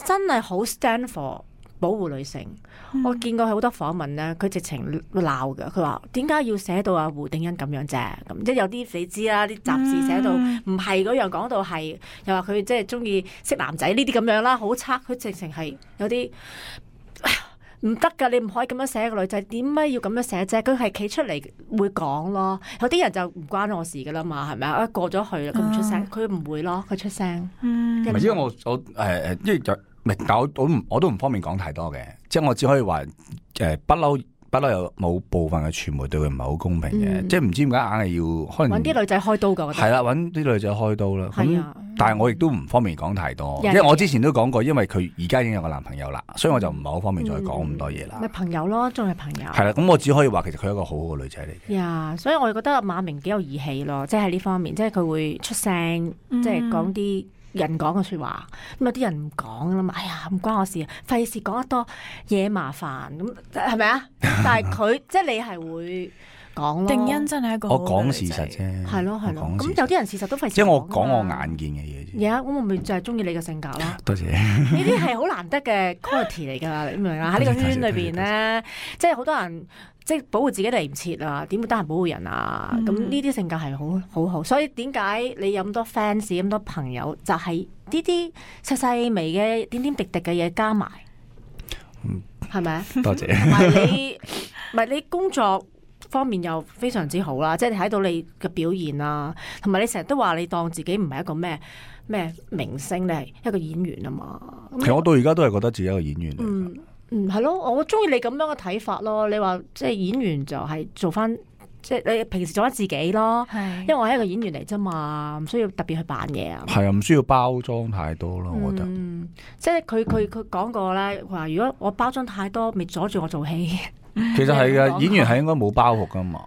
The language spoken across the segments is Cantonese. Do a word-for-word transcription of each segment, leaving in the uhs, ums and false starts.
真係好 stand for 保護女性。嗯、我見過好多訪問咧，佢直情鬧㗎。佢話點解要寫到阿胡定欣咁樣啫？咁即係有啲你知啦，啲雜誌寫到唔係嗰樣，講到係又話佢即係中意識男仔呢啲咁樣啦，好差。佢直情係有啲唔得㗎，你唔可以咁樣寫個女仔，點解要咁樣寫啫？佢係企出嚟會講咯。有啲人就唔關我事㗎啦嘛，係咪啊？過咗去啦，佢唔出聲，佢唔、啊、會咯，佢出聲。唔係、嗯、因為我我誒誒，因為就唔係，但我我唔我都唔方便講太多嘅，即係我只可以話誒不嬲。不嬲有冇部分嘅傳媒對佢唔係好公平嘅，嗯、即係唔知點解硬係要可能揾啲女仔開刀㗎。係啦，揾啲女仔開刀啦。咁、啊、但係我亦都唔方便講太多，人因為我之前都講過，因為佢而家已經有個男朋友啦，所以我就唔係好方便再講咁多嘢啦。咪、嗯、朋友咯，仲係朋友。係啦，咁我只可以話其實佢係一個好好嘅女仔嚟嘅。呀，所以我覺得馬明幾有義氣咯，即係喺呢方面，即係佢會出聲，嗯、即係講啲人講嘅説話，咁有啲人唔講啦嘛，哎呀唔關我事，費事講得多嘢麻煩，咁係咪啊？但係佢即係你係會講咯。定欣真係一個好我講事實啫，係咯係咯。咁有啲人事實都費事。即係我講我眼見嘅嘢啫。而家咁我咪就係中意你嘅性格咯。多謝。呢啲係好難得嘅 quality 嚟㗎，你明唔明啊？喺呢個圈裏邊咧，即係好多人。即係保護自己嚟唔切啊，點會得閒保護人啊？咁呢啲性格係好好好，所以點解你有咁多 fans 咁多朋友，就係呢啲細細微嘅點點滴滴嘅嘢加埋，係咪啊？多謝。唔係你，唔係你工作方面又非常之好啦，即係睇到你嘅表現啦，同埋你成日都話你當自己唔係一個咩咩明星，你係一個演員啊嘛。其實我到而家都係覺得自己一個演員嚟。嗯嗯，係咯，我中意你咁樣嘅睇法咯。你話即係演員就係做翻，即係你平時做翻自己咯。係是，因為我係一個演員嚟啫嘛，唔需要特別去扮嘢啊。係啊，唔需要包裝太多咯，我覺得。嗯，即係佢佢佢講過咧，話如果我包裝太多，咪阻住我做戲。其實係嘅，演員係應該冇包袱噶嘛。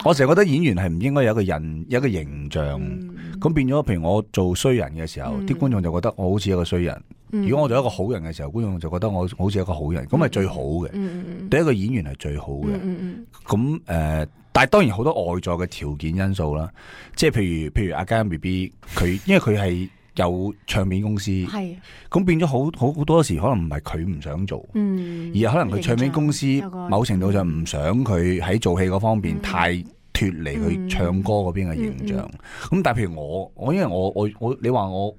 我成日覺得演員係唔應該有一個人有一個形象，咁、嗯、變咗，譬如我做衰人嘅時候，啲、嗯、觀眾就覺得我好似一個衰人。如果我做一個好人嘅時候，觀眾就覺得我好似一個好人，咁係最好嘅。嗯、對一個演員係最好嘅。咁誒、嗯嗯呃，但係當然好多外在嘅條件因素啦，即係譬如譬如阿嘉欣 B B 佢，因為佢係有唱片公司，係咁是變咗好好好多時可能唔係佢唔想做，嗯、而係可能佢唱片公司某程度上唔想佢喺做戲嗰方面太脫離佢唱歌嗰邊嘅形象。咁、嗯嗯嗯、但係譬如我，我因為我我我你話我。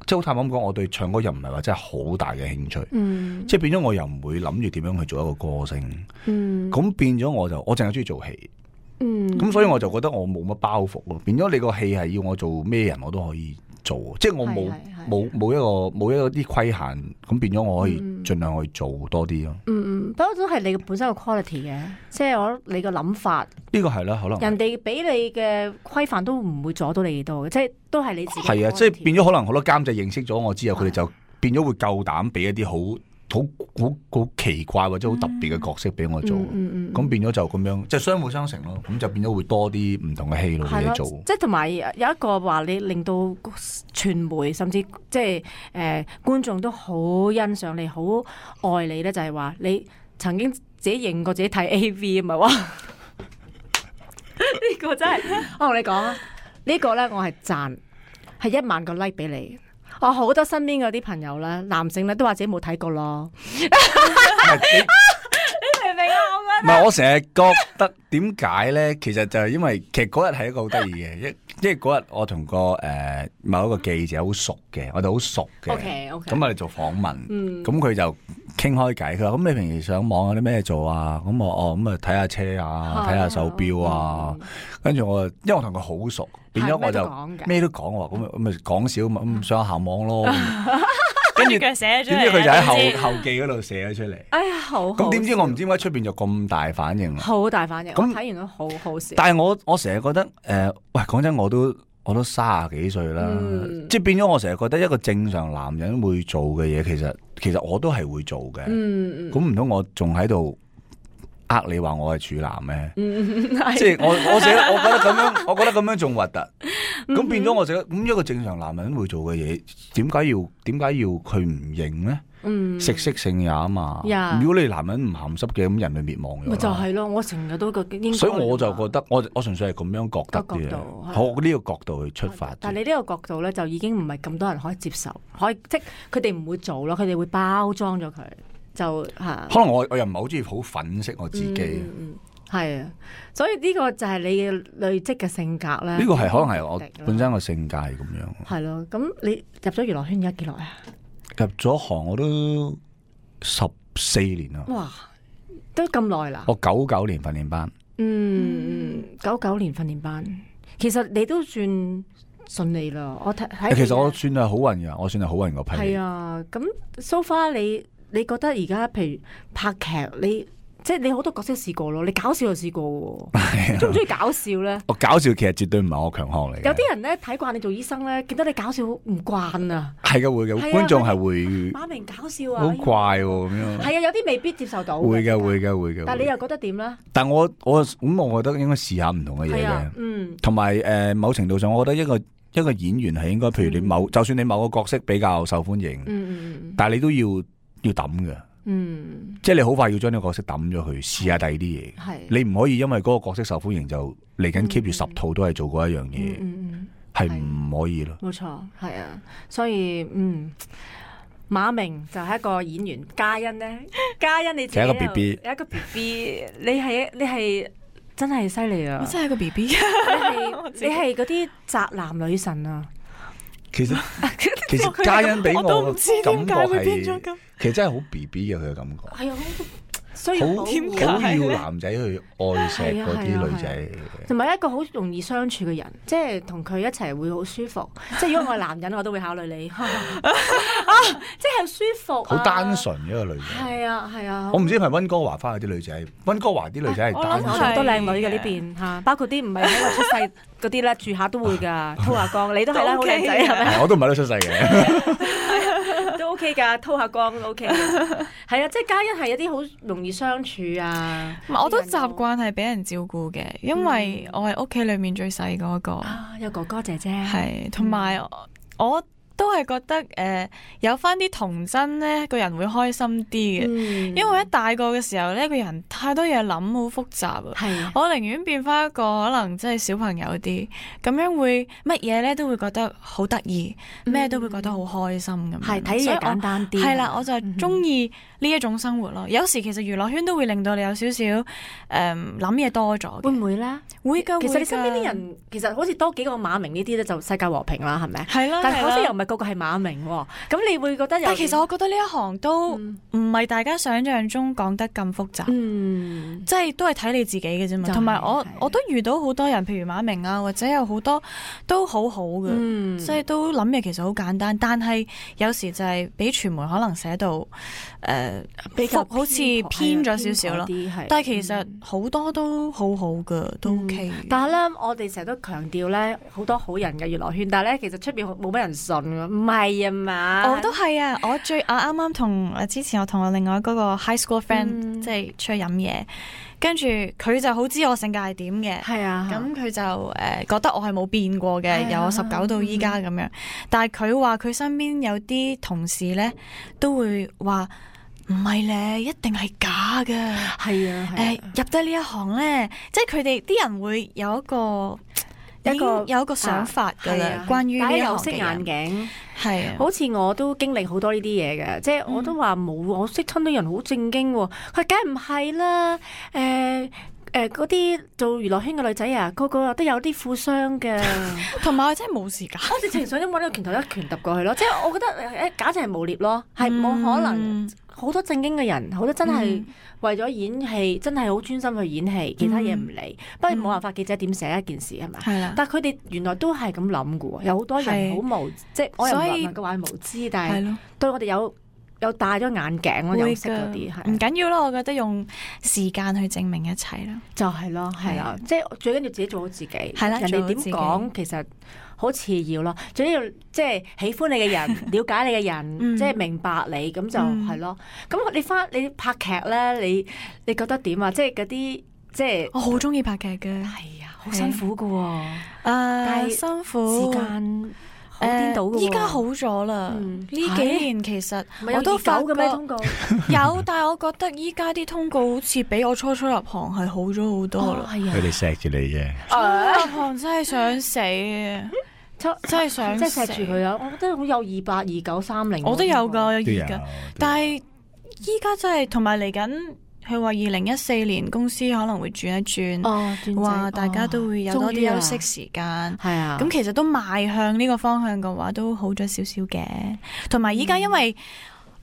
即係好坦白咁講，我對唱歌又唔係話真係好大嘅興趣，嗯、即係變咗我又唔會諗住點樣去做一個歌星，咁、嗯、變咗我就我淨係中意做戲，咁、嗯、所以我就覺得我冇乜包袱咯。變咗你個戲係要我做咩人我都可以做，即係我冇冇冇一個冇一個啲規限，咁變咗我可以盡量去做多啲咯。嗯嗯，不過都係你本身個 quality 嘅，即係我你個諗法。呢個係啦，可能人哋俾你嘅規範都唔會阻到你幾多嘅，即係都係你自己。係啊，即係變咗可能好多監製認識咗我之後，佢哋就變咗會夠膽俾一啲好好好好奇怪或者好特別嘅角色俾我做，咁、嗯嗯嗯、變咗就咁樣，即係相輔相成咯。咁就變咗會多啲唔同嘅戲路俾你做。即係同埋有一個話，你令到傳媒甚至即係誒、呃、觀眾都好欣賞你，好愛你咧，就係、是、話你曾經自己認過自己睇 A V 啊嘛，哇！呢個真係，我同你講啊，呢個咧我係讚，係一萬個 like 俾你。我好多身邊嗰啲朋友咧，男性咧都話自己冇睇過咯。你明唔明啊？我覺得唔係，我成日覺得點解咧？其實就係因為其實嗰日係一個好得意嘅，一即係嗰日我同個誒、呃、某一個記者好熟嘅，我哋好熟嘅。OK OK。咁我哋做訪問，咁佢、嗯、就傾開偈。佢話：咁你平時上網有啲咩做啊？咁我哦咁啊睇下車啊，睇下手錶啊。跟住、嗯、我，因為我同佢好熟。變咗我就咩都講喎，咁咪咁咪講少咁咁上下行網咯。跟住點知佢就喺後後記嗰度寫咗出嚟。哎呀，好！咁點知我唔知點解出邊就咁大反應？好大反應！咁睇完都好好笑。但係我我成日覺得誒、呃，喂，講真，我都我都卅幾歲啦，嗯、即係變咗我成日覺得一個正常男人會做嘅嘢，其實其實我都係會做嘅。咁唔通我仲喺度？呃，你話我係處男咩？嗯、即係我我寫，我覺得咁樣，我覺得咁樣仲核突。咁變咗我就咁一個正常男人會做嘅嘢，點解要點解要佢唔認咧？嗯，食色性也啊嘛。Yeah. 如果你男人唔鹹濕嘅，咁人類滅亡咗。咪就係咯，我成日都覺得。所以我就覺得，我我純粹係咁樣覺得嘅。好，呢個角度去出發。但係你呢個角度咧，就已經唔係咁多人可以接受，可以即係佢哋唔會做咯，佢哋會包裝咗佢，就嚇。可能我我又唔係好中意好粉飾我自己。嗯嗯係啊，所以呢個就係你嘅累積嘅性格咧。呢個係可能係我本身個性格係咁樣。係咯，咁你入咗娛樂圈而家幾耐啊？入咗行我都十四年啦。哇，都咁耐啦！我九九年訓練班。嗯，九九年訓練班，其實你都算順利啦。我睇睇。其實我算係好運噶，我算係好運個批。係啊，咁 so far 你你覺得而家譬如拍劇你？即係你好多角色試過咯，你搞笑又試過喎，中唔中意搞笑咧？我搞笑其實絕對唔係我強項嚟嘅。有啲人咧睇慣你做醫生咧，見到你搞笑唔慣啊。係嘅，會嘅，觀眾係會。馬明搞笑啊！好怪喎咁樣。係啊，有啲未必接受到。會嘅，會嘅，會嘅。但係你又覺得點咧？但我我咁，我覺得應該試下唔同嘅嘢嘅。嗯。同埋誒，某程度上，我覺得一個一個演員係應該，譬如你某，就算你某個角色比較受歡迎，嗯，但係你都要要抌嘅。嗯，即係你好快要將呢個角色抌咗佢，試下第二啲嘢。係你唔可以因為嗰個角色受歡迎就嚟緊 keep 住十套都係做嗰一樣嘢，係唔可以咯。冇錯，係啊，所以嗯，馬明就係一個演員，嘉欣咧，嘉欣你自己有一個 B B， 有一個 B B， 你係你係真係犀利啊！我真係個 B B， 你係你係嗰啲宅男女神啊！其實其實嘉欣俾我嘅感覺係，其實真係好 B B 嘅佢嘅感覺。係啊，所以好好要男仔去愛錫嗰啲女仔，同埋一個好容易相處嘅人，即係同佢一齊會好舒服。即係如果我係男人，我都會考慮你。啊，即係舒服，好單純一個女仔。係啊係啊，我唔知係咪溫哥華翻去啲女仔，溫哥華啲女仔係單純，好多靚女嘅呢邊嚇，包括啲唔係喺度出世嗰啲咧，住下都會㗎。滔下江，你都係啦，好靚仔係咪？我都唔係都出世嘅，都 OK 㗎，滔下江都 OK 嘅。係啊，即係嘉欣係一啲好容易相處啊。我都習慣係俾人照顧嘅，因為我係屋企裡面最細嗰個。啊，有哥哥姐姐。係，同埋我都係覺得誒、呃、有翻啲童真咧，個人會開心啲嘅。嗯、因為一大個嘅時候咧，個人太多嘢諗，好複雜啊。係，我寧願變翻一個可能即係小朋友啲，咁樣會乜嘢咧都會覺得好得意，咩、嗯、都會覺得好開心咁。係睇嘢簡單啲。係啦，我就係中意呢一種生活咯。嗯、有時其實娛樂圈都會令到你有少少誒諗嘢多咗。會唔會咧？會㗎。其實你身邊啲人其實好似多幾個馬明呢啲咧，就世界和平啦，係咪？係啦。但係好似又唔係個個係馬明喎。咁你會覺得有？但其實我覺得呢一行都唔係大家想象中講得咁複雜。嗯。即係都係睇你自己嘅啫嘛。同埋我我都遇到好多人，譬如馬明啊，或者有好多都好好嘅，嗯、即係都諗嘢其實好簡單，但係有時就係俾傳媒可能寫到誒、呃、比較好似偏咗少少咯。但係其實好多都好好嘅，都 OK、嗯。但係咧，我哋成日都強調咧，好多好人嘅娛樂圈，但係咧其實出邊冇乜人信㗎，唔係啊嘛。我都係啊，我最我啱啱同誒之前我同我另外嗰個 high school friend、嗯、即係出去飲嘢。跟住佢就好知我性格係點嘅，係啊，咁佢就誒、呃、覺得我係冇變過嘅，由我十九到依家咁樣。但係佢話佢身邊有啲同事咧都會話唔係咧，一定係假嘅。係啊，誒、呃、入得呢一行咧，即係佢哋啲人會有一個一個有一個想法㗎啦，啊、關於呢一行嘅人。戴有色眼鏡。係啊，好似我都經歷好多呢啲嘢嘅，即係我都話冇，我識親啲人好正經喎，佢梗係唔係啦，誒誒嗰啲做娛樂圈嘅女仔啊，個個都有啲富商嘅，同埋我真係冇時間，我直情想揾個拳頭一拳揼過去咯，即係我覺得誒簡直係誣蔑咯，係冇可能，好多正經嘅人，好多真係為咗演戲，真係好專心去演戲，其他嘢唔理。不過冇辦法，記者點寫一件事係咪？係啦。但係佢哋原來都係咁諗嘅喎，有好多人好無，即係我又唔能夠話無知，但係對我哋有有戴咗眼鏡咯，有識嗰啲係。唔緊要咯，我覺得用時間去證明一切啦。就係咯，係啦，即係最緊要自己做好自己。係啦，人哋點講其實好次要咯，最緊要即係喜歡你嘅人，了解你嘅人，嗯、即係明白你，咁就係咯。咁、嗯、你翻你拍劇咧，你你覺得點啊？即係嗰啲即係我好中意拍劇嘅，係啊，好辛苦噶喎。誒、但係辛苦時間好顛倒㗎喎。依家好咗啦，呢、嗯幾年其實我都唔係有發覺熱狗嘅咩通告？有，但係我覺得依家啲通告好似比我初初入行係好咗好多啦。係啊佢，哋錫住你啫。初入行真係想死啊！真真係想即係死錫住佢啊！我覺得好有二八二九三零，我都有㗎，有都有而家，但係依家真係同埋嚟緊，佢話二零一四年公司可能會轉一轉，哦，轉話大家都會有多啲休息時間。係啊，咁其實都邁向呢個方向嘅話，都好咗少少嘅。同埋依家因為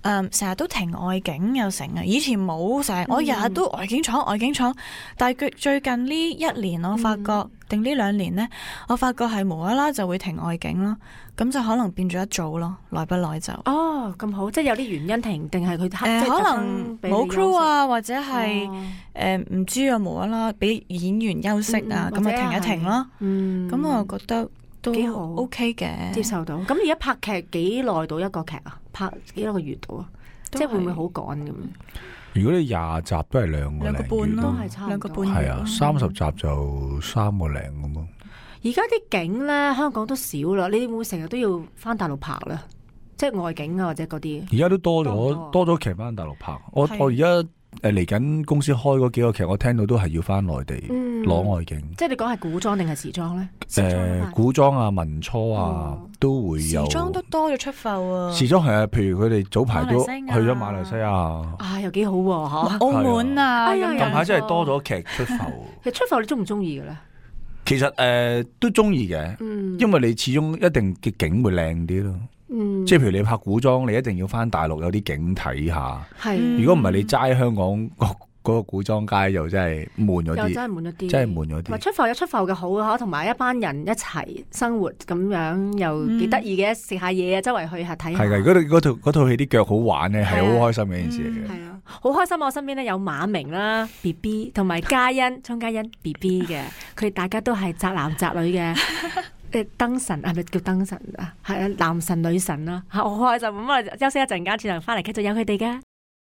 誒成日都停外景又成啊，以前冇成日，我日日都外景廠外景廠，但係佢最近呢一年我發覺，定呢兩年呢，我發覺係無啦啦就會停外景咯，咁就可能變咗一組咯，耐不耐就。哦咁好，即係有啲原因停，定係佢誒可能冇 crew 啊，或者係誒唔知啊，無啦啦俾演員休息啊，咁咪停一停咯。嗯，咁我覺得都幾好 OK 嘅，接受到。咁而家拍劇幾耐到一個劇啊？拍幾多個月到啊？即係會唔會好趕咁？如果你廿集都係兩個兩個半咯，都係差唔多兩個半係啊，三十集就三個零咁咯。而家啲景咧，香港都少啦。你會唔會成日都要翻大陸拍咧？即係外景啊，或者嗰啲。而家都多多唔咗多多咗劇翻大陸拍。我係我而家誒嚟緊公司開嗰幾個劇，我聽到都係要翻內地嗯攞外景。即係你講係古裝定係時裝咧？時裝誒啊古裝啊、民初啊哦都會有。時裝都多咗出埠啊，時裝係啊，譬如佢哋早排都馬來西亞去咗馬來西亞。啊，又幾好喎嚇！澳門啊，哎呀咁樣近排真係多咗劇出埠。其實出埠你中唔中意嘅咧？其實誒、呃、都中意嘅，嗯，因為你始終一定嘅景會靚啲咯。嗯，即係譬如你拍古裝，你一定要翻大陸有啲景睇下。係嗯如果唔係你齋香港嗰嗰個古裝街，又真係悶咗又真啲，係悶咗啲，真係悶咗同埋啲。出埠有出埠嘅好嚇，同埋一班人一齊生活咁樣又幾得意嘅，食下嘢啊，周圍去下睇下。係㗎，嗰套嗰套嗰套戲啲腳好玩咧，係好開心嘅一件事嚟嘅。係啊，好開心！我身邊咧有馬明啦、B B 同埋嘉欣、鐘嘉欣 B B 嘅，佢哋大家都係宅男宅女嘅。誒燈神係咪叫燈神啊？係啊，男神女神啦，好開心咁啊！休息一陣間，轉頭翻嚟繼續有佢哋嘅。